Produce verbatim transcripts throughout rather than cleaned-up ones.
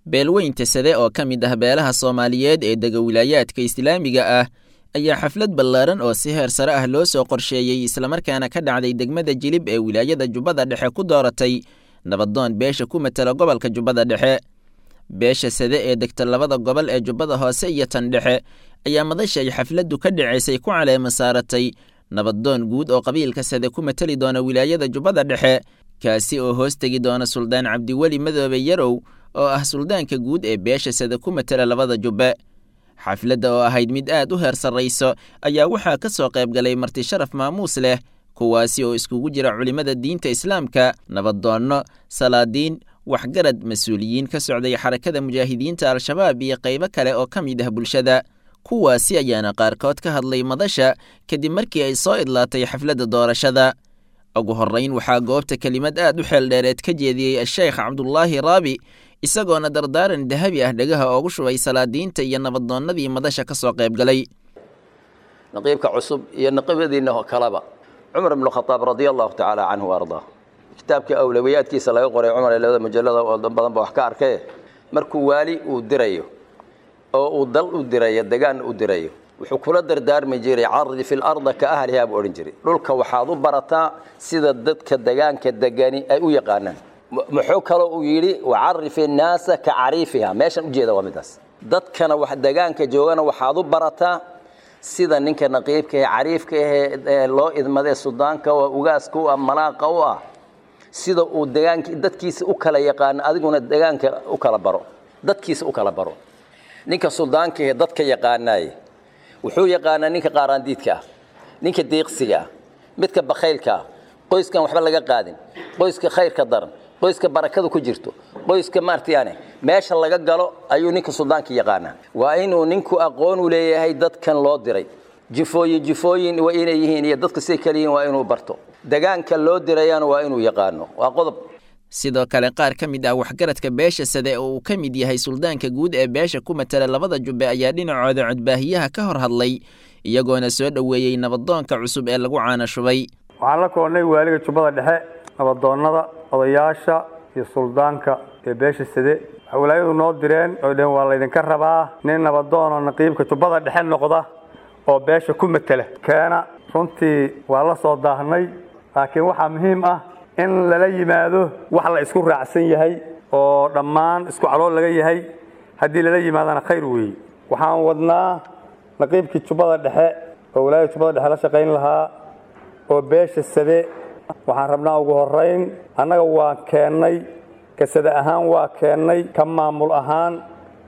Beelweynta Sade oo ka mid ah beelaha Soomaaliyeed ee dega wilaayaadka Islaamiga ah ayaa xaflad ballaaran oo si heer sare ah loo soo qorsheeyey islamarkaana ka dhacday degmada Jilib ee wilaayada Jubbada Dhexe ku dooratay nabadoon beesha ku matala gobolka Jubbada Dhexe. Beesha Sade ee degta labada gobol ee Jubbada Hoose iyo tan Dhexe ayaa madasha ay xafladdu ka dhaceysay ku caleema saaratay nabadoon guud oo qabiilka Sade ku matali doona wilaayada Jubbada Dhexe, kaasi oo hoos tegi doona Suldaan Cabdiweli Madoobe Yarow oo ah suldaanka guud ee beesha Sade ku matala labada jubbe. Xafladda oo ahayd mid aad u heer sarrayso ayaa waxaa ka soo qayb galay marti sharaf maamuus leh, kuwaasi oo iskugu jira culimmada diinta Islaamka, nabadoonno, salaadiin, waxgarad, mas-uuliyiin ka socday xarakada mujaahidiinta Al-Shabaab iyo qaybo kale oo ka mid ah bulshada. Kuwaasi ayaana qaarkood ka hadlay madasha kadib markii ay soo idlaatay xafladda doorashada. Ugu horrayn waxaa goobta kelimad aad u xeeldheereed ka jeediyey Asheekh Cabdulaahi Raabi, isagoona dardaaran dahabi ah dhagaha oogu shubay salaadiinta iyo nabadoonnadii madasha ka soo qayb galay. Naqiibka cusub iyo naqiibadiina kaleba, Cumar ibnu Khataab radia allahu tacaala canhu ardaa, kitaabka awlawiyaadkiisa laga qoray Cumar ee labada mujallada oo dan badan ba wax ka arkay. Markuu waali uu dirayo oo uu dal u dirayo, degaan u dirayo, wuxuu kula dardaarmi jiray cardi fi larda ka ahlihaa buu odhan jiray. Dhulka waxaad u barataa sida dadka degaanka degani ay u yaqaanaan. Muxuu kaloo uu yidhi wacarif innaasa ka cariifiha. Meeshan ujeeda waa midaas. Dadkana wax degaanka joogana waxaad u barataa sida ninka naqiibka ee cariifka ahee loo idmadee sudaanka oo ugaaska u ah, malaaqa u ah, sida uu degaanka dadkiisa u kala yaqaano adiguna degaanka u kala baro, dadkiisa u kala baro. Ninka suldaanka ee dadka yaqaanaaye wuxuu yaqaanaa ninka qaaraandiidka ah, ninka deeqsiga ah, midka bakhaylka ah, qoyskan waxba laga qaadin, qoyska khayrka daran, qoyska barakada ku jirto, qoyska maartayaane meesha laga galo ayuu ninka suldaanka yaqaanaa. Waa inuu ninku aqoon u leeyahay dadkan loo diray. Jifooyin jifooyin waa inay yihiin iyo dadka siday kale yihiin waa inuu barto. Degaanka loo dirayana waa inuu yaqaano. Waa qodob. Sidoo kale qaar ka mid ah waxgaradka beesha Sade oo uu ka mid yahay suldaanka guud ee beesha ku matala labada jubbe ayaa dhinacooda codbaahiyaha ka hor hadlay, iyagoona soo dhoweeyey nabadoonka cusub ee lagu caana shubay. Waxaan la koonnay waaliga Jubbada Dhexe, nabadoonnada, odayaasha iyo suldaanka ee beesha Sade. Waxay walaayadu noo direen oo dheheen waa laydinka rabaa nin nabadoon oo naqiibka Jubbada Dhexe noqda oo beesha ku matala keena. Runtii waa la soo daahnay, laakiin waxaa muhiim ah in lala yimaado wax la isku raacsan yahay oo dhammaan isku calool laga yahay. Haddii lala yimaadana khayr weeye. Waxaan wadnaa naqiibkii Jubbada Dhexe oo walaayada Jubbada Dhexe la shaqayn lahaa oo beesha Sade. Waxaan rabnaa ugu horrayn annaga waa keennay, ka Sade ahaan waa keennay, ka maamul ahaan,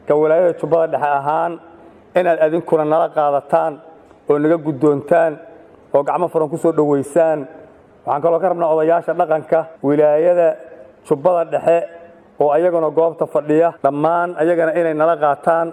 ka walaayada Jubbada Dhexe ahaan, inaad adinkuna nala qaadataan oo naga guddoontaan oo gacmo furan ku soo dhoweysaan. Waxaan kaloo ka rabnaa odayaasha dhaqanka wilaayada Jubbada Dhexe oo ayaguna goobta fadhiya dhammaan ayagana inay nala qaataan.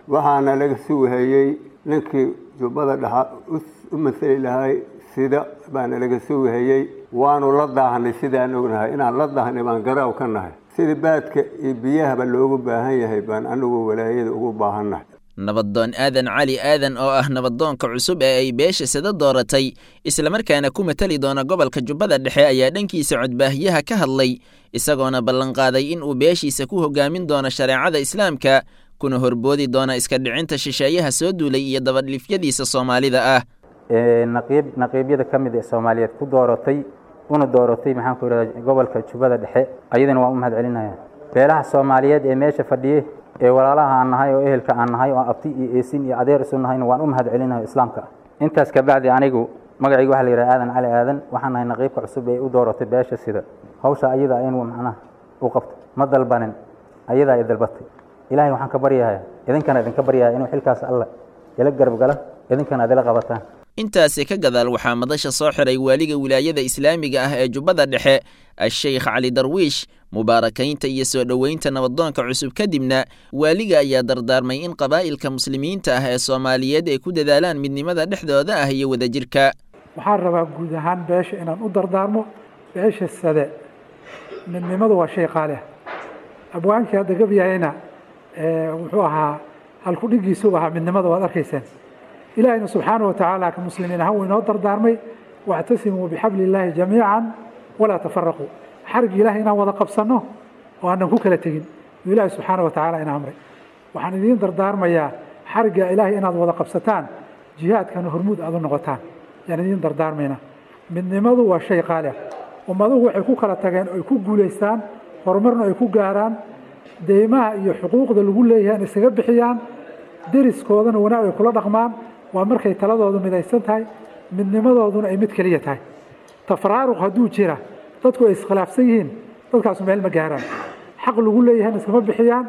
Waxaana laga sugahayey ninkii Jubbada Dhexe u masali lahay sida baana laga sugahayey. Waanu la daahnay, sidaan ognahay inaan la daahnay baan garaaw ka nahay. Sida baadka iyo biyahaba loogu baahan yahay baan anigu walaayada ugu baahannahay. Nabadoon Aadan Cali Aadan oo ah nabadoonka cusub ee ay beesha Sade dooratay islamarkaana ku matali doona gobolka Jubbada Dhexe ayaa dhankiisa codbaahiyaha ka hadlay, isagoona ballanqaaday in uu beeshiisa ku hogaamin doono shareecada Islaamka kuna horboodi doona iska dhicinta shisheeyaha soo duulay iyo dabadhilifyadiisa Soomaalida ah. Naqiib naqiibyada ka mid ee Soomaaliyeed ku dooratay una dooratay maxaan ku yidhahdaa gobolka Jubbada Dhexe, ayadana waan u mahad celinayaa. Beelaha Soomaaliyeed ee meesha fadhiyey ee walaalaha aan nahay oo ehelka aan nahay oo abti iyo eesin iyo adeer isu nahayna waan u mahad celinayo Islaamka. Intaas ka bacdi anigu magacaygu waxaa la yidhaha Aadan Cali Aadan, waxaan nahay naqiibka cusub ee u dooratay beesha sida hawsha ayada inuu macnaha u qabto. Ma dalbanin, ayadaa i dalbatay. Ilaahay waxaan ka baryayaa, idinkana idinka baryayaa inuu xilkaas Alla ila garab gala, idinkana ad ila qabataan. Intaasi ka gadaal waxaa madasha soo xiray waaliga wilaayada Islaamiga ah ee Jubbada Dhexe Asheykh Cali Darwiish. Mubaarakaynta iyo soo dhoweynta nabadoonka cusub kadibna waaliga ayaa dardaarmay in qabaa'ilka muslimiinta ah ee Soomaaliyeed ay ku dadaalaan midnimada dhexdooda ah iyo wadajirka. Waxaan rabaa guud ahaan beesha inaan u dardaarmo. Beesha Sade midnimadu waa shay qaali ah. Abwaankii hadda gabyahayna wuxuu ahaa halkudhigiisuu ahaa midnimada, waad arkayseen. Ilaahayna subxaana wa tacaala ka muslimiin ahaan wuu inoo dardaarmay, wactasimuu bixabli illaahi jamiican walaa tafaraquu. Xarigii Ilahay inaan wada qabsanno oo aanan ku kala tegin. Buu Ilaahay subxaana wa tacaala ina amray. Waxaan idiin dardaarmayaa xarigga Ilaahay inaad wada qabsataan, jihaadkana hormuud aad u noqotaan yaan idiin dardaarmaynaa. Midnimadu waa shay qaali ah. Ummaduhu waxay ku kala tageen, ay ku guulaystaan, horumarna ay ku gaaraan, deymaha iyo xuquuqda lagu leeyahay in iskaga bixiyaan, deriskoodana wanaag ay kula dhaqmaan, waa markay taladoodu midaysan tahay, midnimadooduna ay mid keliya tahay. Tafaraaruq hadduu jira, dadku ay iskhilaafsan yihiin, dadkaasu meel ma gaaraan, xaq lagu leeyahayna iskama bixiyaan,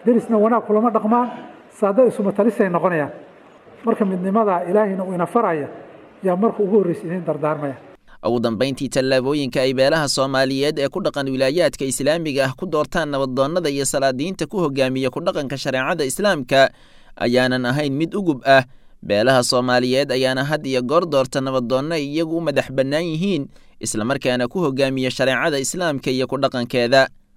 derisna wanaag kulama dhaqmaan, saada isuma talisay noqonayaan. Marka midnimadaa Ilaahayna uu ina faraya yaa marka ugu horreysa idiin dardaarmaya. Ugu dambayntii, tallaabooyinka ay beelaha Soomaaliyeed ee ku dhaqan wilaayaadka islaamiga ah ku doortaan nabadoonnada iyo salaadiinta ku hogaamiya ku dhaqanka shareecada islaamka ayaanan ahayn mid ugub ah. Beelaha Soomaaliyeed ayaana had iyo goor doorta nabadoonno ay iyagu u madax bannaan yihiin, islamarkaana ku hogaamiya shareecada islaamka iyo ku dhaqankeeda.